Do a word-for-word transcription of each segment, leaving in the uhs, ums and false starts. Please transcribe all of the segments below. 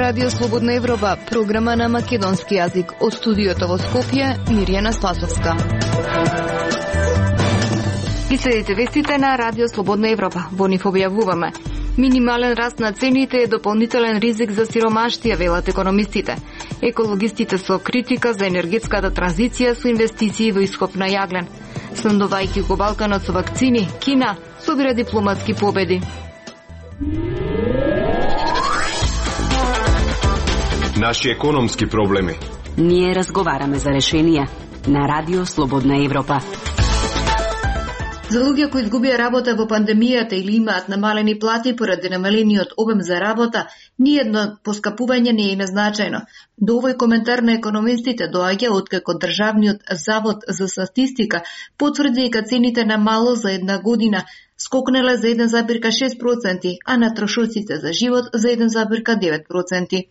Радио Слободна Европа, програма на македонски јазик. Од студиото во Скопје, Мирјана Спасовска. Ги следите вестите на Радио Слободна Европа. Во нив објавуваме: минимален раст на цените е дополнителен ризик за сиромаштија, велат економистите. Екологистите со критика за енергетската транзиција со инвестиции во ископ на јаглен. Снабдувајќи го Балканот со вакцини, Кина собира дипломатски победи. Наши економски проблеми. Ние разговараме за решенија на Радио Слободна Европа. За луѓе кои изгубија работа во пандемијата или имаат намалени плати поради намалениот обем за работа, ниедно поскапување не е назначено. До овој коментар на економистите доаѓа откако Државниот завод за статистика потврди дека цените на мало за една година скокнале за еден зарез шест проценти, а на трошоците за живот за еден зарез девет проценти.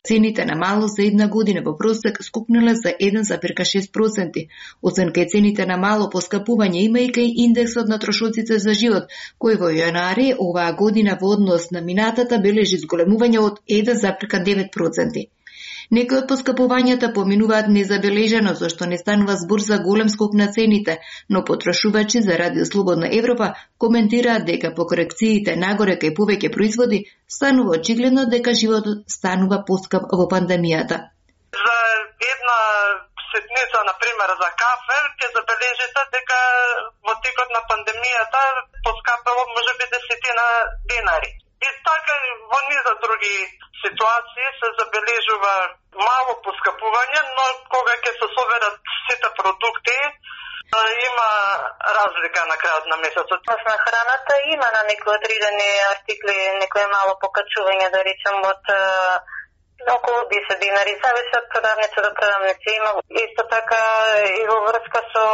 Цените на мало за една година во просек скокнале за еден зарез шест проценти. Освен кај цените на мало поскапување има и кај индексот на трошоците за живот, кој во јануари оваа година во однос на минатата бележи зголемување од еден зарез девет проценти. Некои од поскапувањата поминуваат незабележано, зашто не станува збор за голем скок на цените, но потрошувачи за Радио Слободна Европа коментираат дека по корекциите нагоре кај повеќе производи станува очигледно дека животот станува поскап во пандемијата. За една ситница, например, за кафе, ќе забележите дека во текот на пандемијата поскапало можеби десетина денари. И така во низа други ситуации се забележува мало поскапување, но кога ќе се соберат сите продукти, има разлика на крајот на месецот. На храната има на некои одредени артикли, некој мало покачување, да речем, од околу десет динари, зависи од продавница до продавница. Има исто така и во врска со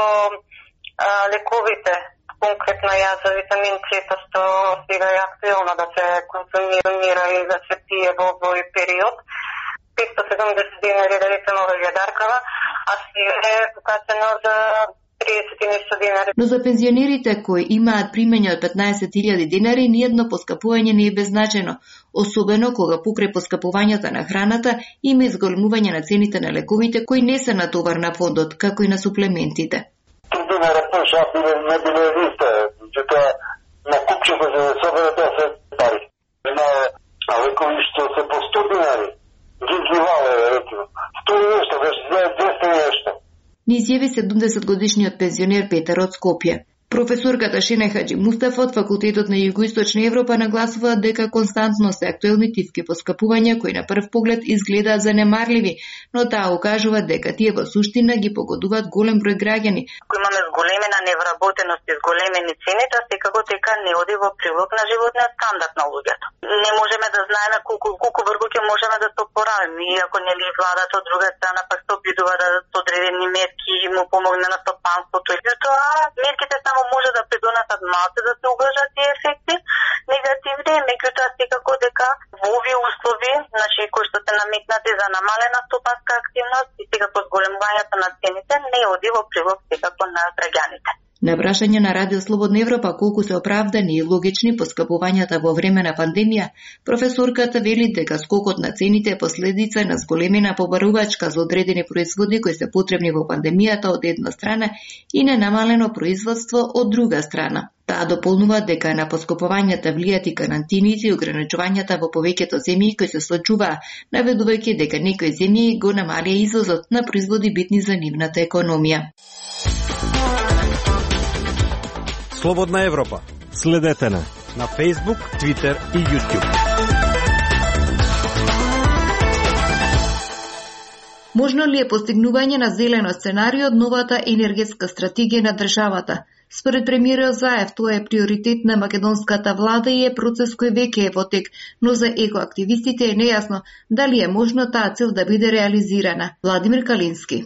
а, лековите. Конкретно јас за витамин С, што сега е актуелно да се консумира и да се пие во овој период. петстотини и седумдесет динари, да речем, ова јадаркава, а сега е покачено за триесет и нешто динари. Но за пензионерите кои имаат примање од петнаесет илјади динари, ниедно поскапување не е беззначено, особено кога покрај поскапувањата на храната има изголемување на цените на лековите кои не се натовар на фондот, како и на суплементите. Динара пуша, не биле листа, че на купчето за да собере десет пари. На лекови што се по сто динари, ги ги вале, речено. сто нешто, двеста нешто. Ни изјави седумдесет годишниот пензионер Петар од Скопје. Професорката Шене Хаджи Мустафа од Факултетот на Југоисточна Европа нагласува дека константно се актуелни тивки поскапувања кои на прв поглед изгледаат занемарливи, но таа укажува дека тие во суштина ги погодуваат голем број граѓани. Ако имаме зголемена невработеност и зголемени цени, тоа секако дека не оди во прилог на животниот стандард на луѓето. Не можеме да знаеме колку колку вргу ќе можеме да се опоравиме, иако нели владата од друга страна пак се обидува да дадат одредени мерки и му помогне на стопанството. Тоа мерките само може да придонесат малце да се убржат тие ефекти негативни, меѓутоа секако дека во овие услови, значи кои што се наметнати за намалена стопанска активност и секако зголемувањето на цените не оди во прилог секако на граѓаните. На прашање на Радио Слободна Европа колку се оправдани и логични поскапувањата во време на пандемија, професорката вели дека скокот на цените е последица на зголемена побарувачка за одредени производи кои се потребни во пандемијата од една страна и на намалено производство од друга страна. Таа дополнува дека на поскапувањата влијат и карантините и ограничувањата во повеќето земји кои се случуваа, наведувајќи дека некои земји го намалија извозот на производи битни за нивната економија. Слободна Европа. Следете на на Facebook, Twitter и YouTube. Можно ли е постигнување на зелено сценарио од новата енергетска стратегија на државата? Според премиерот Заев, тоа е приоритет на македонската влада и е процес кој веќе е во тек, но за екоактивистите е нејасно дали е можно таа цел да биде реализирана. Владимир Калински.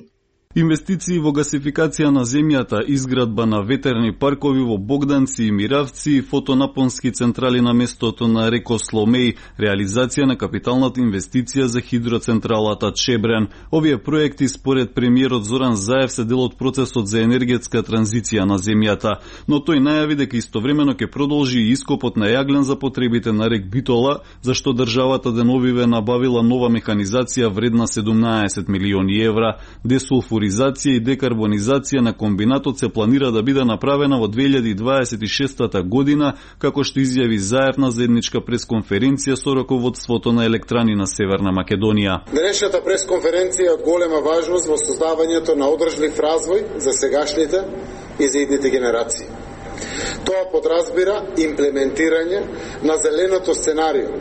Инвестиции во гасификација на земјата, изградба на ветерни паркови во Богданци и Миравци, фотонапонски централи на местото на реко Сломеј, реализација на капиталната инвестиција за хидроцентралата Чебрен. Овие проекти според премиерот Зоран Заев се дел од процесот за енергетска транзиција на земјата, но тој најави дека истовремено ќе продолжи и ископот на јаглен за потребите на рек Битола, зашто државата деновиве набавила нова механизација вредна седумнаесет милиони евра. Десулфуризација и декарбонизација на комбинатот се планира да биде направена во две илјади дваесет и шеста година, како што изјави Заев на заедничка пресконференција со раководството на електрани на Северна Македонија. Денешната пресконференција е од голема важност во создавањето на одржлив развој за сегашните и за идните генерации. Тоа подразбира имплементирање на зеленото сценарио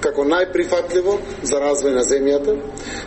како најприфатливо за развој на земјата,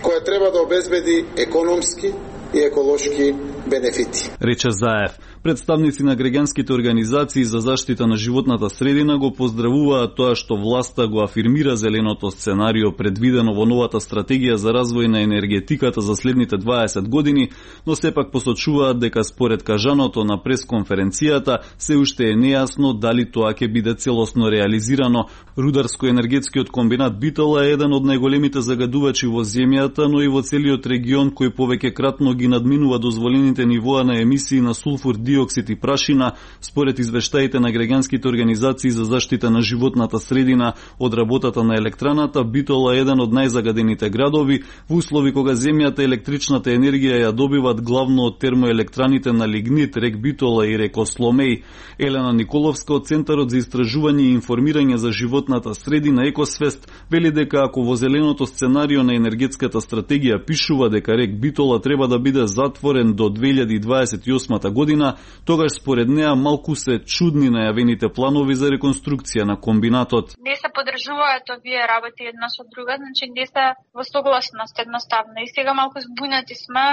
која треба да обезбеди економски и еколошки бенефити. Рече Заев. Представници на граѓанските организации за заштита на животната средина го поздравуваат тоа што власта го афирмира зеленото сценарио предвидено во новата стратегија за развој на енергетиката за следните дваесет години, но сепак посочуваат дека според кажаното на пресконференцијата се уште е нејасно дали тоа ќе биде целосно реализирано. Рударско-енергетскиот комбинат Битола е еден од најголемите загадувачи во земјата, но и во целиот регион кој повеќе кратно ги надминува дозволените нивоа на емисии на сулфур диоксид и прашина, според извештаите на граѓанските организации за заштита на животната средина. Од работата на електраната, Битола е еден од најзагадените градови, во услови кога земјата електричната енергија ја добиват главно од термоелектраните на лигнит, рек Битола и реко Сломеј. Елена Николовска од Центарот за истражување и информирање за животната средина Екосвест вели дека ако во зеленото сценарио на енергетската стратегија пишува дека рек Битола треба да биде затворен до две илјади дваесет и осма година, тогаш според неа малку се чудни најавените планови за реконструкција на комбинатот. Не се подржуваат овие работи една со друга, значи не се во согласност едноставно. И сега малку збунати сме,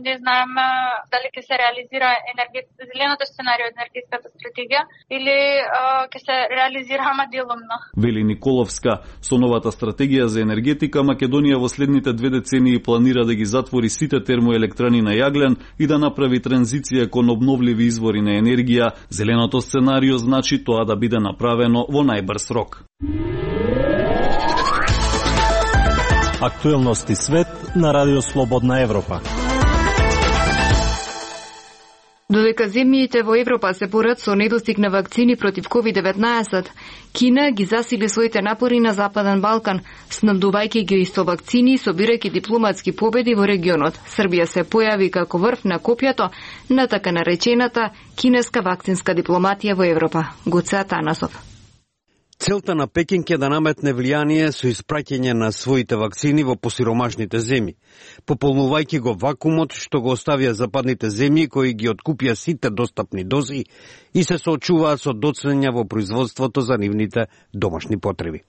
не знаеме дали ќе се реализира енергет... зеленото сценарио од енергетската стратегија или ќе се реализира ама делумно. Вели Николовска, со новата стратегија за енергетика Македонија во следните две децении планира да ги затвори сите термоелектрани на јаглен и да направи транзиција кон обновливи извори на енергија. Зеленото сценарио значи тоа да биде направено во најбрз рок. Актуелности свет на Радио Слободна Европа. Додека земјите во Европа се порат со недостиг на вакцини против ковид деветнаесет, Кина ги засили своите напори на Западен Балкан, снабдувајќи ги со вакцини и собирајќи дипломатски победи во регионот. Србија се појави како врв на копјето на така наречената кинеска вакцинска дипломатија во Европа. Гоце Атанасов. Целта на Пекинг е да наметне влијание со испраќање на своите вакцини во посиромашните земји, пополнувајќи го вакуумот што го оставија западните земји кои ги откупија сите достапни дози и се соочуваат со доцнења во производството за нивните домашни потреби.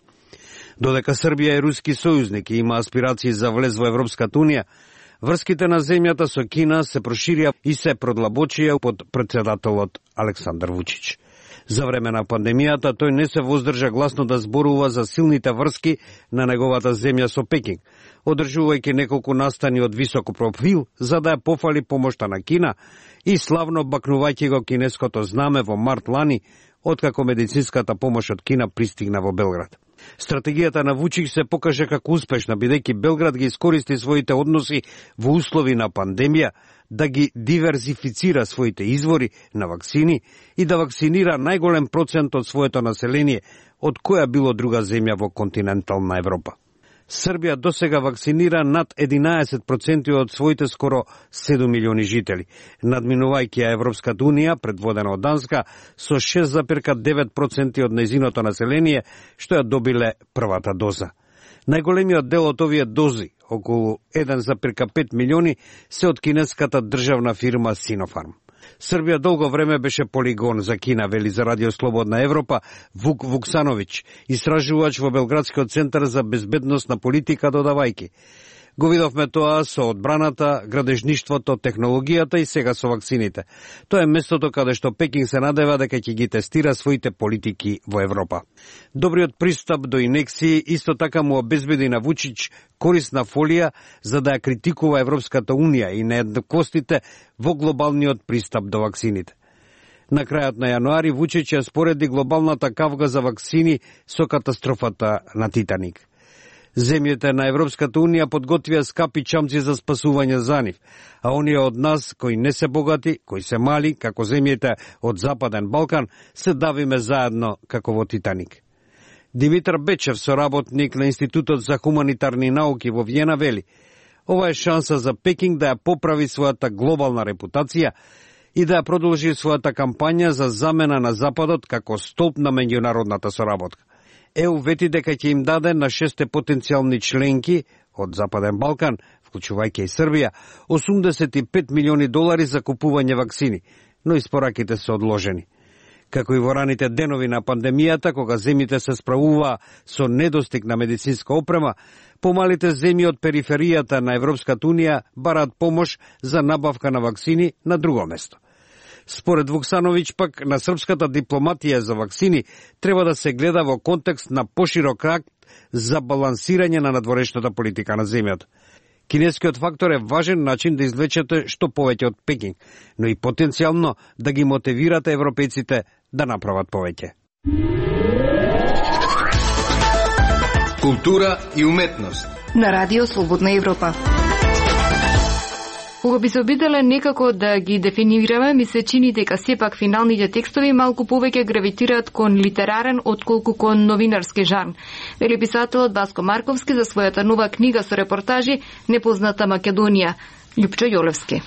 Додека Србија е руски сојузник и има аспирации за влез во Европската унија, врските на земјата со Кина се проширија и се продлабочија под претседателот Александар Вучич. За време на пандемијата тој не се воздржа гласно да зборува за силните врски на неговата земја со Пекинг, одржувајќи неколку настани од високо профил за да ја пофали помошта на Кина и славно бакнувајќи го кинеското знаме во март лани, откако медицинската помош од Кина пристигна во Белград. Стратегијата на Вучич се покаже како успешна, бидејќи Белград ги искористи своите односи во услови на пандемија да ги диверзифицира своите извори на вакцини и да вакцинира најголем процент од своето население од која било друга земја во континентална Европа. Србија досега вакцинира над единаесет проценти од своите скоро седум милиони жители, надминувајќи ја Европската унија, предводена од Данска, со шест зарез девет проценти од нејзиното население, што ја добиле првата доза. Најголемиот дел од овие дози, околу еден зарез пет милиони, се од кинеската државна фирма Синофарм. Србија долго време беше полигон за Кина, вели за Радио Слободна Европа Вук Вуксановиќ, истражувач во Белградскиот центар за безбедност на политика, додавајки: Го видовме тоа со одбраната, градежништвото, технологијата и сега со вакцините. Тоа е местото каде што Пекинг се надева дека ќе ги тестира своите политики во Европа. Добриот пристап до инекции исто така му обезбеди на Вучич корисна фолија за да ја критикува Европската Унија и нееднаквостите во глобалниот пристап до вакцините. На крајот на јануари Вучич ја спореди глобалната кавга за вакцини со катастрофата на Титаник. Земјите на Европската Унија подготвија скапи чамци за спасување за нив, а оние од нас кои не се богати, кои се мали, како земјите од Западен Балкан, се давиме заедно како во Титаник. Димитар Бечев, соработник на Институтот за хуманитарни науки во Виена, вели: ова е шанса за Пекинг да ја поправи својата глобална репутација и да ја продолжи својата кампања за замена на Западот како столб на меѓународната соработка. Е У вети дека ќе им даде на шесте потенцијални членки од Западен Балкан, вклучувајќи и Србија, осумдесет и пет милиони долари за купување вакцини, но испораките се одложени. Како и во раните денови на пандемијата, кога земјите се справуваа со недостиг на медицинска опрема, помалите земји од периферијата на Европската Унија бараат помош за набавка на вакцини на друго место. Според Вуксановиќ пак, на српската дипломатија за вакцини треба да се гледа во контекст на поширок акт за балансирање на надворешната политика на земјата. Кинескиот фактор е важен начин да извлечете што повеќе од Пекинг, но и потенцијално да ги мотивирате европејците да направат повеќе. Култура и уметност на Радио Слободна Европа. Кога би се обиделе некако да ги дефинираме, ми се чини дека сепак финалните текстови малку повеќе гравитираат кон литерарен отколку кон новинарски жанр. Вели писателот Васко Марковски за својата нова книга со репортажи Непозната Македонија. Љупчо Јолевски.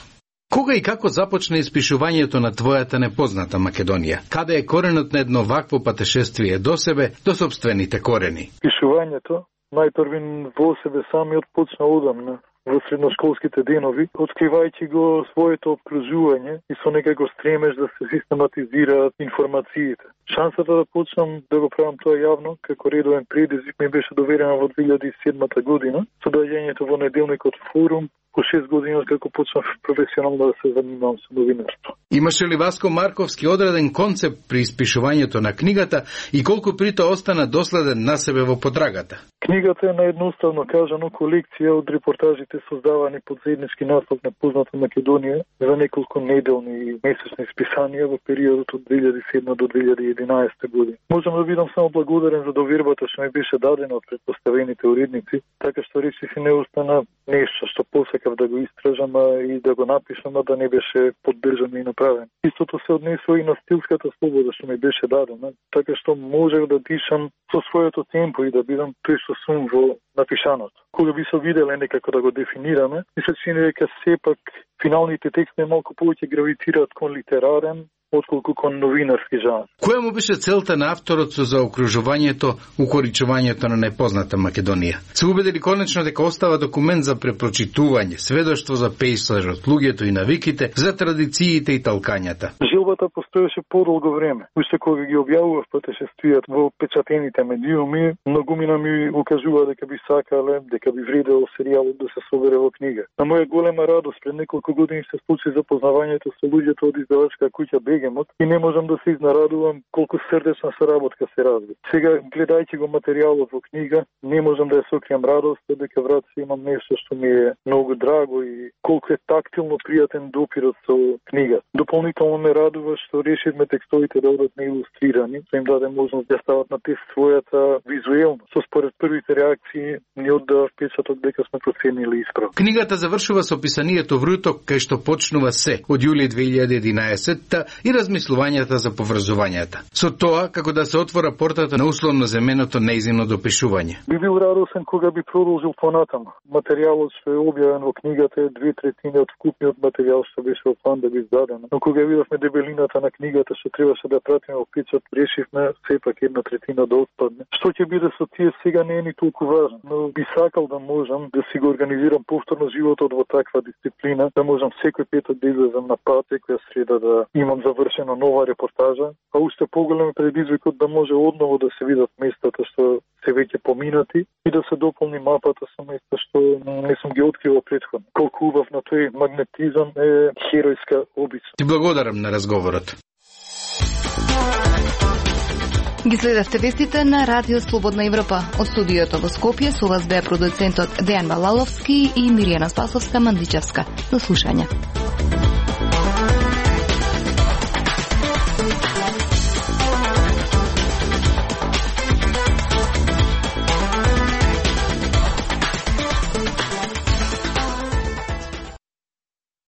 Кога и како започна испишувањето на твојата непозната Македонија? Каде е коренот на едно вакво патешествие до себе, до собствените корени? Пишувањето најпрвин во себе самиот почна одамна, во средношколските денови, откривајќи го своето обкружување и со некако стремеж да се систематизираат информациите. Шансата да почнам да го правам тоа јавно, како редовен предизвик, ми беше доверена во две илјади и седма година, со доаѓањето во неделникот Форум, по шест години како почнав професионално да се занимавам со новинарство. Имаше ли Васко Марковски одреден концепт при испишувањето на книгата и колку при тоа остана доследен на себе во подрагата? Книгата е наедноставно кажано колекција од репортажите создавани под заеднички наслов Непозната Македонија за неколку неделни и месечни списанија во периодот од две илјади и седма до две илјади и единаесета година. Можам да бидам само благодарен за довербата што ми беше дадена од претпоставените уредници, така што речи си не остана нешто што посекав да го истражам и да го напишам, а да не беше поддржан и направен. Истото се однесува и на стилската слобода што ми беше дадена, така што можев да дишам со своето темпо и да бидам тој што сум во напишаното. Кога би се виделе некако да го дефинираме, ми се чини дека сепак финалните текстови малку повеќе гравитираат кон литерарен отколку кон новинарски жанр. Која му беше целта на авторот со заокружувањето, укоричувањето на Непозната Македонија? Се убедили конечно дека остава документ за препрочитување, сведоштво за пејзажот, луѓето и навиките, за традициите и талкањата. Желбата постоеше подолго време. Уште кога ги објавував патешествијата во печатените медиуми, многумина ми укажува дека би сакале, дека би вредело серијалот да се собере во книга. На моја голема радост пред неколку години се случи запознавањето со луѓето од издавачка куќа Бегемот и не можам да се изнарадувам колку срдечна соработка се разви. Сега, гледајќи го материјалот во книга, не можам да ја сокријам радост, дека врат се имам нешто што ми е многу драго и колку е тактилно пријатен допирот со книга. Дополнително ме радува што решивме текстовите да одат неилустрирани, што им даде можност да стават на тест својата визуелност. Со според првите реакции ни оддава впечаток дека сме проценили исправно. Книгата завршува со писанието вруток кај што почнува се од јули две илјади и единаесетта и размислувањата за поврзувањата. Со тоа како да се отвора портата на условно земеното неизмно допишување. Би бил радосен кога би продолжил понатаму. Материјалот што е објавен во книгата е две третини од вкупниот материјал што беше во план да би издадено. Но кога видовме дебелината на книгата што требаше да пратиме во печат, решивме сепак една третина да отпадне. Што ќе биде со тие сега не е ни толку важно, но би сакал да можам да си го организирам повторно животот во таква дисциплина, да можам секој петок да излезам на пат, секоја среда да имам за завршена нова репортажа, а уште поголем предизвикот да може одново да се видат местата што се веќе поминати и да се дополни мапата со места што не сум ги открила претходно. Колку убав на тој магнетизам е херојска обична. Ти благодарам на разговорот. Ги следевте вестите на Радио Слободна Европа. Од студиото во Скопје со вас беа продуцентот Дејан Балаловски и Миријана Спасовска-Мандичевска. До слушање.